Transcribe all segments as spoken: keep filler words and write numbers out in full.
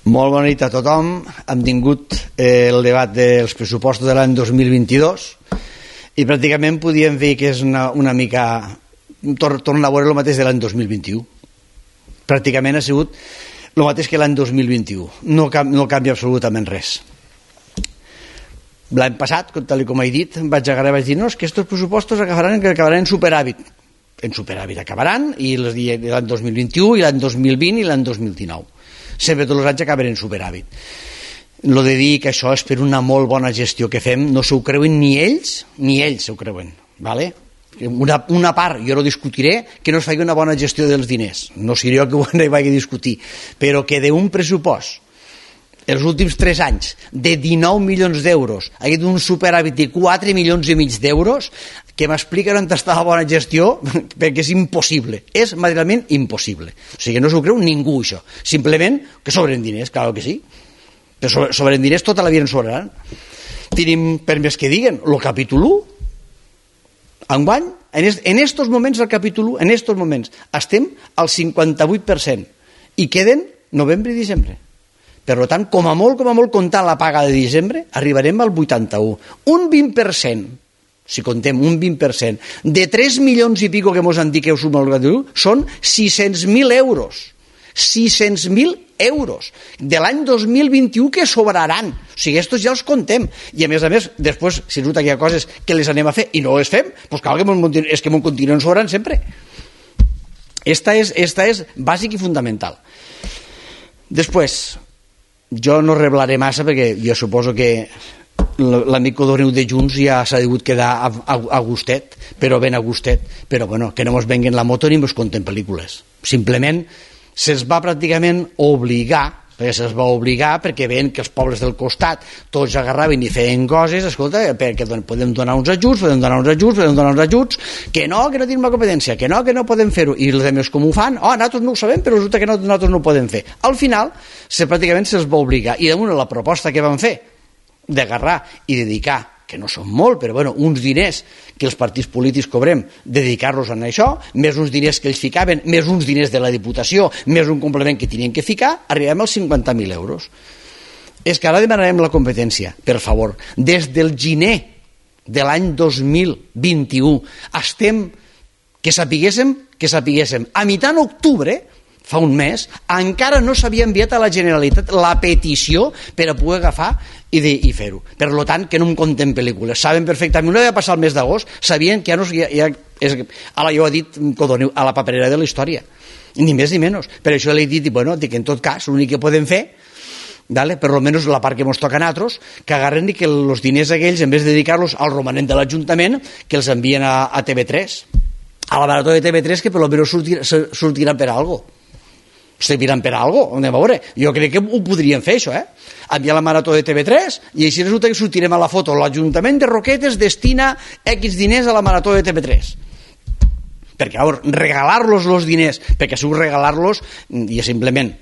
Molt bona nit a tothom. Hem tingut eh, el debat dels pressupostos de l'any dos mil vint-i-dos i pràcticament podíem dir que és una, una mica tor tornar a veure el mateix de l'any dos mil vint-i-u. Pràcticament ha sigut el mateix que l'any dos mil vint-i-u. No, no canvia absolutament res. L'any passat, tal com he dit, vaig agarrar i vaig dir no, és que aquests pressupostos acabaran, acabaran en superàvit. En superàvit acabaran, i l'any dos mil vint-i-u, i l'any dos mil vint, i l'any dos mil dinou. Sempre tots els anys acaben en superàvit. Lo de dir que això és per una molt bona gestió que fem, no s'ho creuen ni ells, ni ells s'ho creuen. ¿Vale? Una, una part, jo no discutiré que no es faci una bona gestió dels diners, no seré jo que ho vaig a discutir, però que d'un pressupost els últims tres anys de dinou milions d'euros ha hagut un superàvit de quatre milions i mig d'euros, que m'expliquen on està la bona gestió, perquè és impossible, és materialment impossible. O sigui, no s'ho creu ningú, això. Simplement que sobren diners, clar que sí. Però sobren diners tota la vida en sobraran. Tenim, per més que diguen, el capítol u, enguany, en estos moments del capítol u, en estos moments, estem al cinquanta-vuit per cent i queden novembre i desembre. Per tant, com a molt, com a molt, comptant la paga de desembre, arribarem al vuitanta-u. Un vint per cent, si contem un vint per cent, de tres milions i pico que mos han dit que ho suma el capítol u, són sis-cents mil euros. sis-cents mil euros de l'any dos mil vint-i-u que sobraran. O sigui, estos ja els contem. I a més a més, després, si resulta que hi ha coses que les anem a fer i no les fem, doncs cal que mos, és que m'ho continuen sobrant sempre. Esta és, esta és bàsic i fundamental. Després, jo no reblaré massa perquè jo suposo que l'amic Codoneu de Junts ja s'ha degut quedar a, a, a gustet, però ben a gustet, però bueno, que no mos venguen la moto ni mos conten pel·lícules. Simplement se'ls va pràcticament obligar, perquè se'ls va obligar perquè veien que els pobles del costat tots agarraven i feien coses, escolta, perquè podem donar uns ajuts, podem donar uns ajuts, podem donar uns ajuts, que no, que no tenim la competència, que no, que no podem fer-ho, i els altres com ho fan, oh, nosaltres no ho sabem, però resulta que nosaltres no ho podem fer. Al final, se, pràcticament se'ls va obligar, i damunt la proposta que van fer, d'agarrar i dedicar, que no són molt, però bueno, uns diners que els partits polítics cobrem, dedicar-los a això, més uns diners que ells ficaven, més uns diners de la Diputació, més un complement que tenien que ficar, arribem als cinquanta mil euros. És que ara demanarem la competència, per favor. Des del gener de l'any dos mil vint-i-u estem, que sapiguéssim, que sapiguéssim, a mitjan octubre, fa un mes, encara no s'havia enviat a la Generalitat la petició per a poder agafar i, i fer-ho. Per tant, que no em compten pel·lícules. Saben perfectament, no havia passat el mes d'agost, sabien que ja no... Ja, ja, és, ara jo he dit, Codoneu, a la paperera de la història. Ni més ni menys. Per això l'he dit, bueno, dic, en tot cas, l'únic que podem fer, vale, per almenys la part que ens toca a nosaltres, que agarren i que els diners aquells, en vez de dedicar-los al romanent de l'Ajuntament, que els envien a, a T V tres. A la marató de T V tres, que per almenys sortirà, sortirà per alguna cosa. Serviran per algo, anem a veure. Jo crec que ho podrien fer, això, eh? Enviar la marató de T V tres i així resulta que sortirem a la foto. L'Ajuntament de Roquetes destina X diners a la marató de T V tres. Perquè, a veure, regalar-los els diners, perquè si ho regalar-los, i simplement,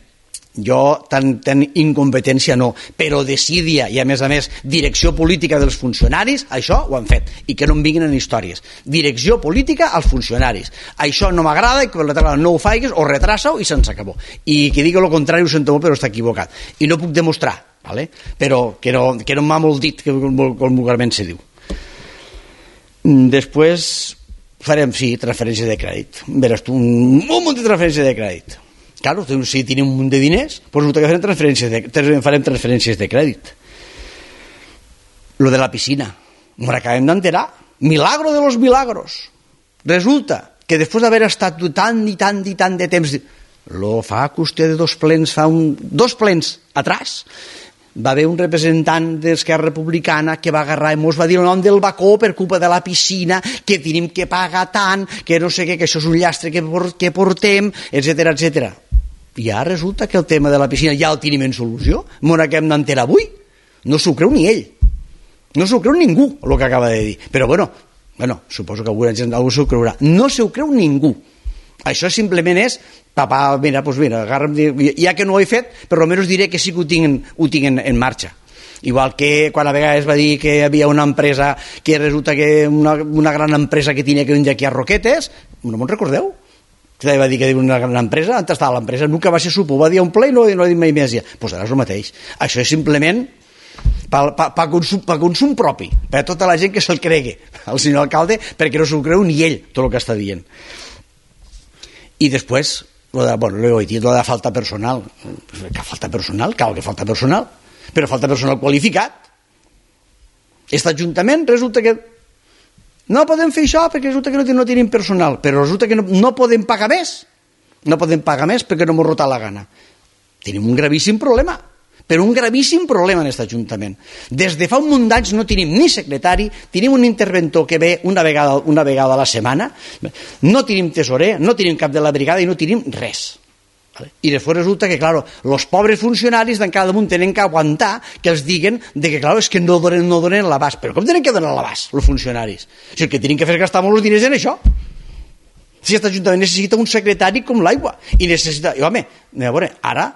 jo tan, tan incompetència no, però desídia i a més a més direcció política dels funcionaris, això ho han fet, i que no em vinguin en històries. Direcció política als funcionaris. Això no m'agrada i per la tarda no ho faigues o retrasa-ho i se'ns acabó. I que digui el contrari ho sento molt però està equivocat. I no puc demostrar, ¿vale? Però que no, que no m'ha molt dit, que vulgarment se diu. Després farem, sí, transferència de crèdit. Veràs tu, un munt de transferència de crèdit. Claro, si tenim un munt de diners, doncs farem transferències de, farem transferències de crèdit. Lo de la piscina, no l'acabem d'enterar. Milagro de los milagros. Resulta que després d'haver estat tant i tant i tant de temps, lo fa qüestió de dos plens, fa un, dos plens atrás, va haver un representant d'Esquerra Republicana que va agarrar i mos va dir el nom del bacó per culpa de la piscina, que tenim que pagar tant, que no sé què, que això és un llastre que, que portem, etcètera, etcètera. I ara resulta que el tema de la piscina ja el tenim en solució. M'ho acabem d'enterar avui. No s'ho creu ni ell. No s'ho creu ningú, el que acaba de dir. Però bueno, bueno suposo que alguna gent algú s'ho creurà. No s'ho creu ningú. Això simplement és, papà, mira, doncs mira, agarra'm, ja que no ho he fet, però almenys diré que sí que ho tinc, ho tinc en, en marxa. Igual que quan a vegades va dir que hi havia una empresa, que resulta que una, una gran empresa que tenia que vindre aquí a Roquetes, no me'n recordeu? que va dir que era una gran empresa, on estava l'empresa? Nunca va ser supo, va dir un ple i no, no ha dit mai més. Doncs pues ara és el mateix. Això és simplement per pa, pa consum, pa consum propi, per a tota la gent que se'l cregui, el senyor alcalde, perquè no s'ho creu ni ell, tot el que està dient. I després, lo de, bueno, ho he dit, lo de falta personal. Que falta personal? Cal que falta personal, però falta personal qualificat. Aquest ajuntament resulta que no podem fer això perquè resulta que no, no tenim personal, però resulta que no, no podem pagar més, no podem pagar més perquè no m'ho rota la gana. Tenim un gravíssim problema, però un gravíssim problema en aquest ajuntament. Des de fa un munt d'anys no tenim ni secretari, tenim un interventor que ve una vegada, una vegada a la setmana, no tenim tesorer, no tenim cap de la brigada i no tenim res. I després resulta que, claro, els pobres funcionaris d'en cada damunt tenen que aguantar que els diguen de que, claro, és que no donen, no donen l'abast. Però com tenen que donar l'abast, els funcionaris? Si el que tenen que fer és gastar molts diners en això. Si aquest ajuntament necessita un secretari com l'aigua. I necessita... I, home, a veure, ara,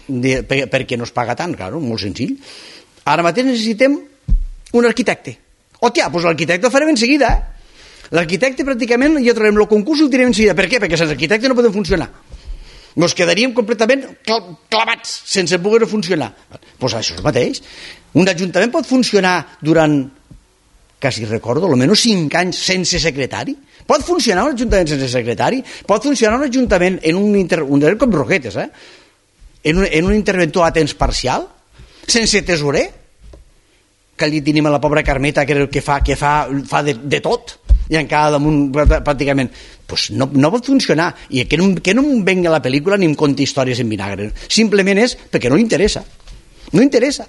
de, per, per què no es paga tant? Claro, molt senzill. Ara mateix necessitem un arquitecte. Hòstia, doncs l'arquitecte el farem en seguida, eh? L'arquitecte pràcticament ja trobarem el concurs i el tirem en seguida. Per què? Perquè sense arquitecte no podem funcionar. Ens quedaríem completament clavats sense poder funcionar. Doncs això és el mateix. Un ajuntament pot funcionar durant, quasi recordo, almenys cinc anys sense secretari. Pot funcionar un ajuntament sense secretari. Pot funcionar un ajuntament en un, inter... un com Roquetes, eh? en, un, en un interventor a temps parcial, sense tesorer, que allí tenim a la pobra Carmeta, que, que fa, que fa, fa de, de tot, i encara damunt pràcticament, pues no, no pot funcionar, i que no, que no em venga la pel·lícula ni em conti històries en vinagre, simplement és perquè no li interessa, no interessa,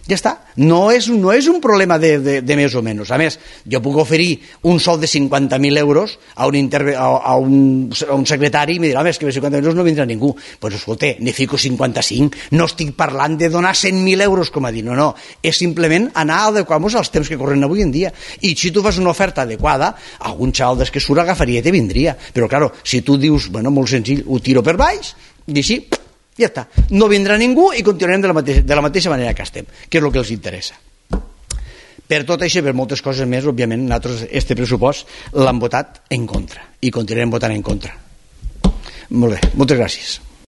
ja està. No és, no és un problema de, de, de més o menys. A més, jo puc oferir un sou de cinquanta mil euros a un, interve, a, a, un, a un secretari i em dirà, home, és que per cinquanta mil euros no vindrà ningú. Doncs pues, escolta, ne fico cinquanta-cinc, no estic parlant de donar cent mil euros, com a dir, no, no, és simplement anar a adequar-nos als temps que corren avui en dia. I si tu fas una oferta adequada, algun xaval des que surt agafaria i te vindria. Però, claro, si tu dius, bueno, molt senzill, ho tiro per baix, i així, ja està, no vindrà ningú i continuarem de la mateixa, de la mateixa manera que estem, que és el que els interessa. Per tot això i per moltes coses més, òbviament, nosaltres este pressupost l'hem votat en contra i continuarem votant en contra. Molt bé, moltes gràcies.